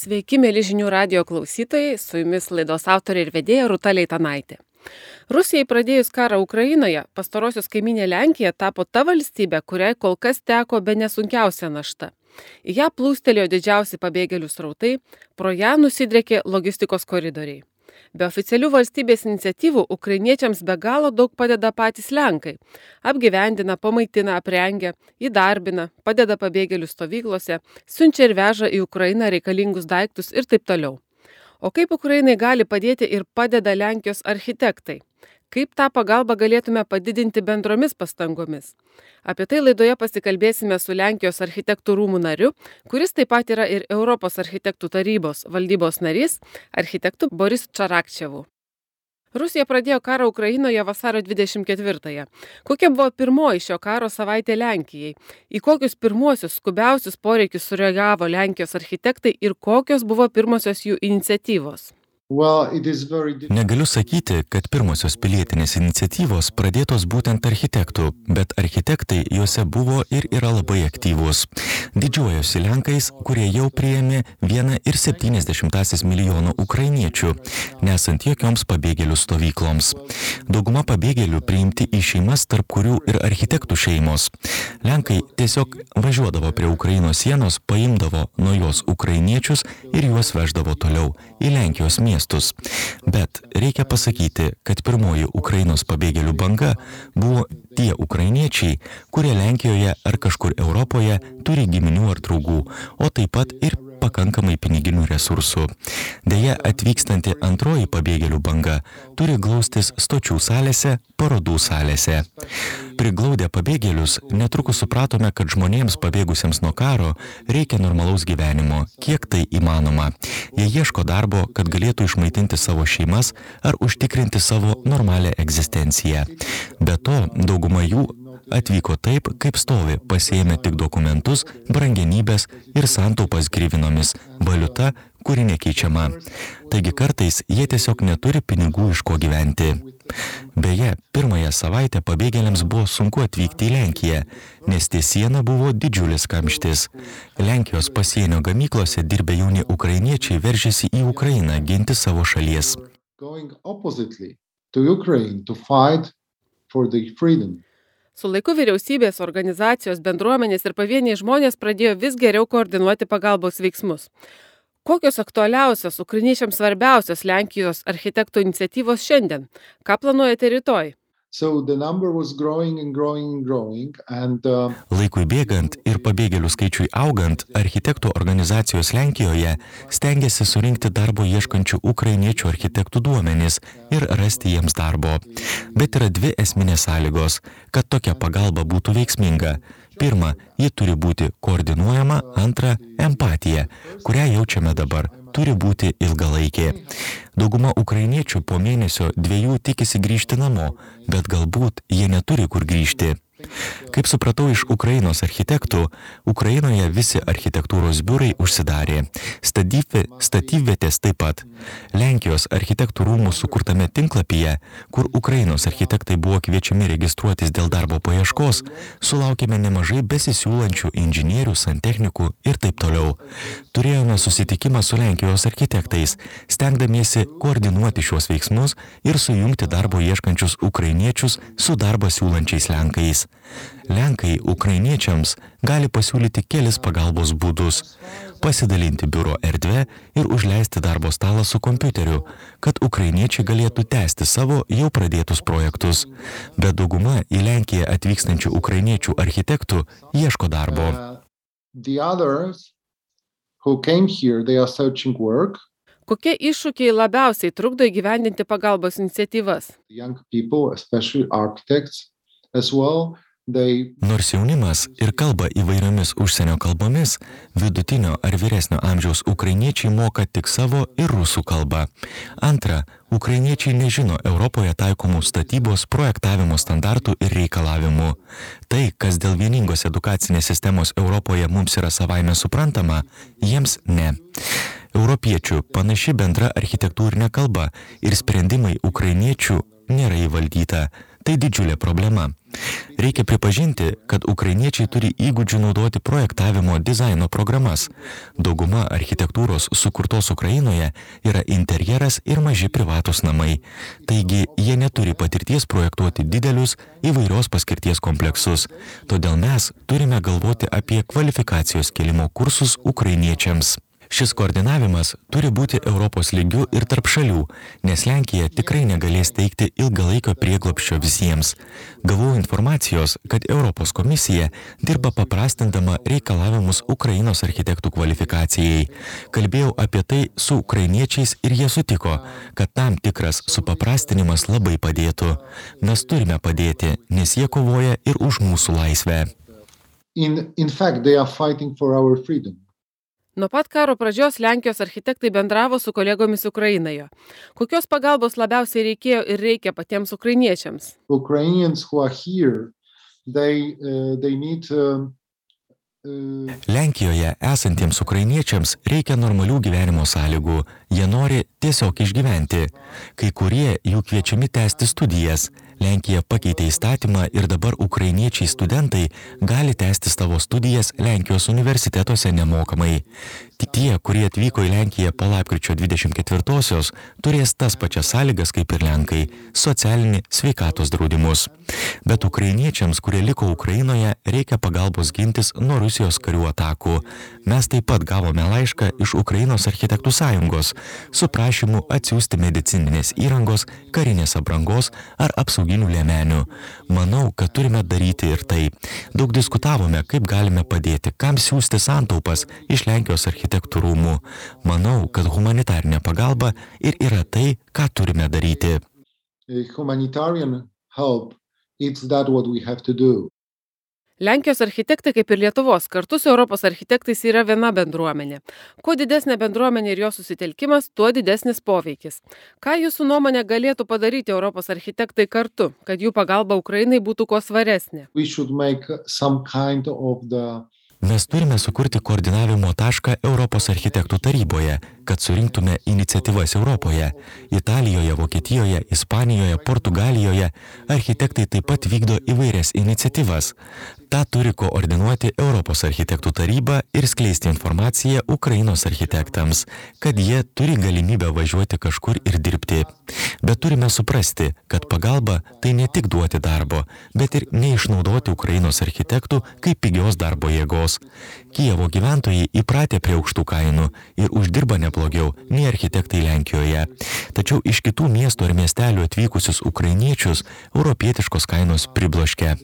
Sveiki, mėly žinių radijo klausytojai, su jumis laidos autorė ir vedėja Rūta Leitanaitė. Rusijai pradėjus karą Ukrainoje, pastarosios kaiminė Lenkija tapo ta valstybė, kuriai kol kas teko bene sunkiausia našta. Į ją plūstelėjo didžiausi pabėgėlių srautai, pro ją nusidriekė logistikos koridoriai. Be oficialių valstybės iniciatyvų ukrainiečiams be galo daug padeda patys Lenkai. Apgyvendina, pamaitina, aprengia, įdarbina, padeda pabėgėlių stovyklose, siunčia ir veža į Ukrainą reikalingus daiktus ir taip toliau. O kaip Ukrainai gali padėti ir padeda Lenkijos architektai? Kaip tą pagalbą galėtume padidinti bendromis pastangomis? Apie tai laidoje pasikalbėsime su Lenkijos architektų rūmų nariu, kuris taip pat yra ir Europos architektų tarybos valdybos narys, architektu Boris Čarakčevu. Rusija pradėjo karą Ukrainoje vasario 24-ąją. Kokia buvo pirmoji šio karo savaitė Lenkijai? Į kokius pirmuosius skubiausius poreikius sureagavo Lenkijos architektai ir kokios buvo pirmosios jų iniciatyvos? Negaliu sakyti, kad pirmosios pilietinės iniciatyvos pradėtos būtent architektų, bet architektai juose buvo ir yra labai aktyvūs. Didžiuojosi Lenkais, kurie jau priėmė 1,7 milijono ukrainiečių, nesant jokioms pabėgėlių stovykloms. Dauguma pabėgėlių priimti į šeimas, tarp kurių ir architektų šeimos. Lenkai tiesiog važiuodavo prie Ukrainos sienos, paimdavo nuo jos ukrainiečius ir juos veždavo toliau į Lenkijos miestus. Bet reikia pasakyti, kad pirmoji Ukrainos pabėgėlių banga buvo tie ukrainiečiai, kurie Lenkijoje ar kažkur Europoje turi giminių ar draugų, o taip pat ir pakankamai piniginių resursų. Deja, atvykstanti antroji pabėgėlių banga turi glaustis stočių salėse, parodų salėse. Priglaudę pabėgėlius, netrukus supratome, kad žmonėms pabėgusiems nuo karo reikia normalaus gyvenimo, kiek tai įmanoma. Jie ieško darbo, kad galėtų išmaitinti savo šeimas ar užtikrinti savo normalią egzistenciją. Be to, dauguma jų atvyko taip, kaip stovi, pasiėmė tik dokumentus, brangenybės ir santaupas grivinomis, valiuta, kuri nekeičiama. Taigi kartais jie tiesiog neturi pinigų iš ko gyventi. Beje, pirmąją savaitę pabėgėliams buvo sunku atvykti į Lenkiją, nes ties siena buvo didžiulis kamštis. Lenkijos pasienio gamyklose dirbę jauni ukrainiečiai veržėsi į Ukrainą ginti savo šalies. Su laiku vyriausybės, organizacijos, bendruomenės ir pavieniai žmonės pradėjo vis geriau koordinuoti pagalbos veiksmus. Kokios aktualiausios, ukrainiečiams svarbiausios Lenkijos architektų iniciatyvos šiandien? Ką planuojate rytoj? Laikui bėgant ir pabėgėlių skaičiui augant, architektų organizacijos Lenkijoje stengiasi surinkti darbo ieškančių ukrainiečių architektų duomenis ir rasti jiems darbo. Bet yra dvi esminės sąlygos, kad tokia pagalba būtų veiksminga. Pirma, ji turi būti koordinuojama, antra, empatija, kurią jaučiame dabar, turi būti ilgalaikė. Dauguma ukrainiečių po mėnesio 2 tikisi grįžti namo, bet galbūt jie neturi kur grįžti. Kaip supratau iš Ukrainos architektų, Ukrainoje visi architektūros biurai užsidarė. Statybvietės taip pat. Lenkijos architektų rūmų sukurtame tinklapyje, kur Ukrainos architektai buvo kviečiami registruotis dėl darbo paieškos, sulaukėme nemažai besisiūlančių inžinierių, santechnikų ir taip toliau. Turėjome susitikimą su Lenkijos architektais, stengdamiesi koordinuoti šiuos veiksmus ir sujungti darbo ieškančius ukrainiečius su darbą siūlančiais Lenkais. Lenkai ukrainiečiams gali pasiūlyti kelis pagalbos būdus – pasidalinti biuro erdvę ir užleisti darbo stalą su kompiuteriu, kad ukrainiečiai galėtų tęsti savo jau pradėtus projektus. Bet dauguma į Lenkiją atvykstančių ukrainiečių architektų ieško darbo. Kokie iššūkiai labiausiai trukdo įgyvendinti pagalbos iniciatyvas? Nors jaunimas ir kalba įvairiomis užsienio kalbomis, vidutinio ar vyresnio amžiaus ukrainiečiai moka tik savo ir rusų kalbą. Antra, ukrainiečiai nežino Europoje taikomų statybos projektavimo standartų ir reikalavimų. Tai, kas dėl vieningos edukacinės sistemos Europoje mums yra savaime suprantama, jiems ne. Europiečių panaši bendra architektūrinė kalba ir sprendimai ukrainiečių nėra įvaldyta. Tai didžiulė problema. Reikia pripažinti, kad ukrainiečiai turi įgūdžių naudoti projektavimo dizaino programas. Dauguma architektūros sukurtos Ukrainoje yra interjeras ir maži privatus namai. Taigi, jie neturi patirties projektuoti didelius įvairios paskirties kompleksus. Todėl mes turime galvoti apie kvalifikacijos kėlimo kursus ukrainiečiams. Šis koordinavimas turi būti Europos lygiu ir tarp šalių, nes Lenkija tikrai negalės teikti ilgalaikio prieglobsčio visiems. Gavau informacijos, kad Europos komisija dirba paprastindama reikalavimus Ukrainos architektų kvalifikacijai. Kalbėjau apie tai su ukrainiečiais ir jie sutiko, kad tam tikras supaprastinimas labai padėtų. Mes turime padėti, nes jie kovoja ir už mūsų laisvę. In fact, they are fighting for our freedom. Nuo pat karo pradžios Lenkijos architektai bendravo su kolegomis Ukrainoje. Kokios pagalbos labiausiai reikėjo ir reikia patiems ukrainiečiams? Ukrainians who are here, they need Lenkijoje esantiems ukrainiečiams reikia normalių gyvenimo sąlygų. Jie nori tiesiog išgyventi. Kai kurie jų kviečiami tęsti studijas. Lenkija pakeitė įstatymą ir dabar ukrainiečiai studentai gali tęsti savo studijas Lenkijos universitetuose nemokamai. Tik tie, kurie atvyko į Lenkiją po lapkričio 24-osios, turės tas pačias sąlygas kaip ir Lenkai - socialinį sveikatos draudimus. Bet ukrainiečiams, kurie liko Ukrainoje, reikia pagalbos gintis nuo Rusijos karių atakų. Mes taip pat gavome laišką iš Ukrainos architektų sąjungos su prašymu atsiųsti medicininės įrangos, karinės aprangos ar apsauginių liemenių. Manau, kad turime daryti ir tai. Daug diskutavome, kaip galime padėti, kam siųsti santaupas iš Lenkijos architektų rūmų. Manau, kad humanitarinė pagalba ir yra tai, ką turime daryti. Humanitarian help, it's that what we have to do. Lenkijos architektai, kaip ir Lietuvos, kartu su Europos architektais yra viena bendruomenė. Kuo didesnė bendruomenė ir jos susitelkimas, tuo didesnis poveikis. Ką jūsų nuomonė galėtų padaryti Europos architektai kartu, kad jų pagalba Ukrainai būtų kuo svaresnė? Mes turime sukurti koordinavimo tašką Europos architektų taryboje, kad surinktume iniciatyvas Europoje. Italijoje, Vokietijoje, Ispanijoje, Portugalijoje architektai taip pat vykdo įvairias iniciatyvas. Ta turi koordinuoti Europos architektų taryba ir skleisti informaciją Ukrainos architektams, kad jie turi galimybę važiuoti kažkur ir dirbti. Bet turime suprasti, kad pagalba tai ne tik duoti darbo, bet ir neišnaudoti Ukrainos architektų kaip pigios darbo jėgos. Kijevo gyventojai įpratę prie aukštų kainų ir uždirba neblogiau nei architektai Lenkijoje. Tačiau iš kitų miestų ar miestelių atvykusius ukrainiečius europietiškos kainos pribloškia.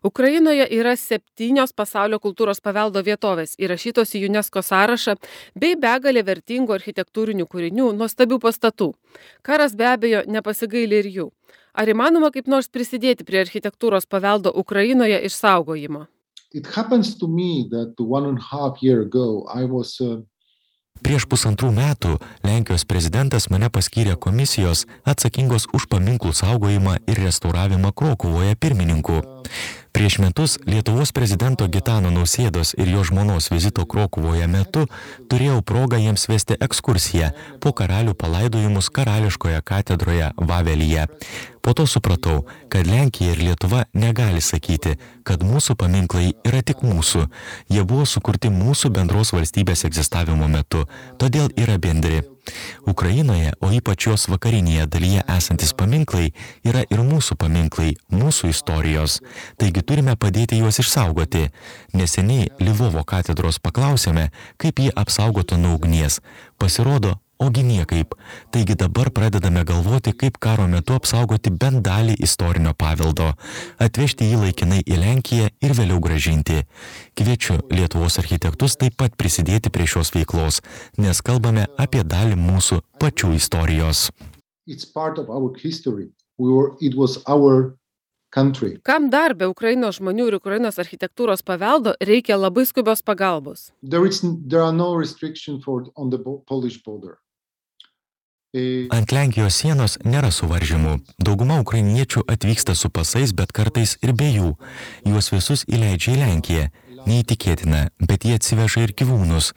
Ukrainoje yra 7 pasaulio kultūros paveldo vietovės įrašytos į UNESCO sąrašą bei begalė vertingų architektūrinių kūrinių, nuostabių pastatų. Karas be abejo nepasigaili ir jų. Ar įmanoma kaip nors prisidėti prie architektūros paveldo Ukrainoje išsaugojimo? Prieš 1,5 metų Lenkijos prezidentas mane paskyrė komisijos atsakingos už paminklų saugojimą ir restauravimą Krokuvoje pirmininku. Prieš metus Lietuvos prezidento Gitano Nausėdos ir jo žmonos vizito Krokuvoje metu turėjau progą jiems vesti ekskursiją po karalių palaidojimus karališkoje katedroje Vavelyje. Po to supratau, kad Lenkija ir Lietuva negali sakyti, kad mūsų paminklai yra tik mūsų. Jie buvo sukurti mūsų bendros valstybės egzistavimo metu, todėl yra bendri. Ukrainoje, o ypač jos vakarinėje dalyje esantis paminklai, yra ir mūsų paminklai, mūsų istorijos. Taigi turime padėti juos išsaugoti. Neseniai Lvovo katedros paklausėme, kaip jį apsaugotų nuo ugnies. Pasirodo, ogi niekaip. Taigi dabar pradedame galvoti, kaip karo metu apsaugoti bent dalį istorinio paveldo, atvežti jį laikinai į Lenkiją ir vėliau gražinti. Kviečiu Lietuvos architektus taip pat prisidėti prie šios veiklos, nes kalbame apie dalį mūsų pačių istorijos. Kam dar be Ukrainos žmonių ir Ukrainos architektūros paveldo reikia labai skubios pagalbos? Ant Lenkijos sienos nėra suvaržymų. Dauguma ukrainiečių atvyksta su pasais, bet kartais ir be jų. Juos visus įleidžia į Lenkiją. neįtikėtina, bet jie atsiveža ir gyvūnus.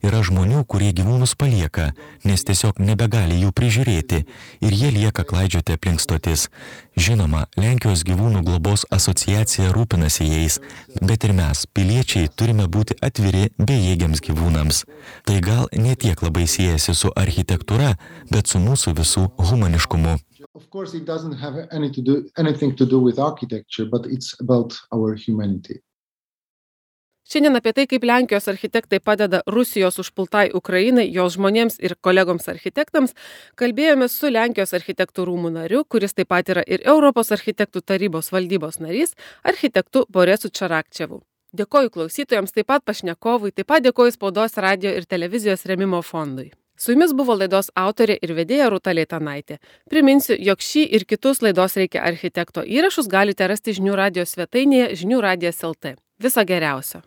Yra žmonių, kurie gyvūnus palieka, nes tiesiog nebegali jų prižiūrėti ir jie lieka klaidžioti aplink stotis. Žinoma, Lenkijos gyvūnų globos asociacija rūpinasi jais, bet ir mes, piliečiai, turime būti atviri bejėgiams gyvūnams. Tai gal ne tiek labai siejasi su architektūra, bet su mūsų visų humaniškumu. Of course, it doesn't have anything to do with architecture, but it's about our humanity. Šiandien apie tai, kaip Lenkijos architektai padeda Rusijos užpultai Ukrainai, jos žmonėms ir kolegoms architektams, kalbėjome su Lenkijos architektų rūmų nariu, kuris taip pat yra ir Europos architektų tarybos valdybos narys, architektu Boresu Čarakčevu. Dėkoju klausytojams, taip pat pašnekovui, taip pat dėkoju Spaudos, radio ir televizijos rėmimo fondui. Su jumis buvo laidos autorė ir vedėja Rūta Leitanaitė. Priminsiu, jog šį ir kitus laidos Reikia architekto įrašus galite rasti Žinių radijo svetainėje žiniųradijas.lt. Viso geriausio.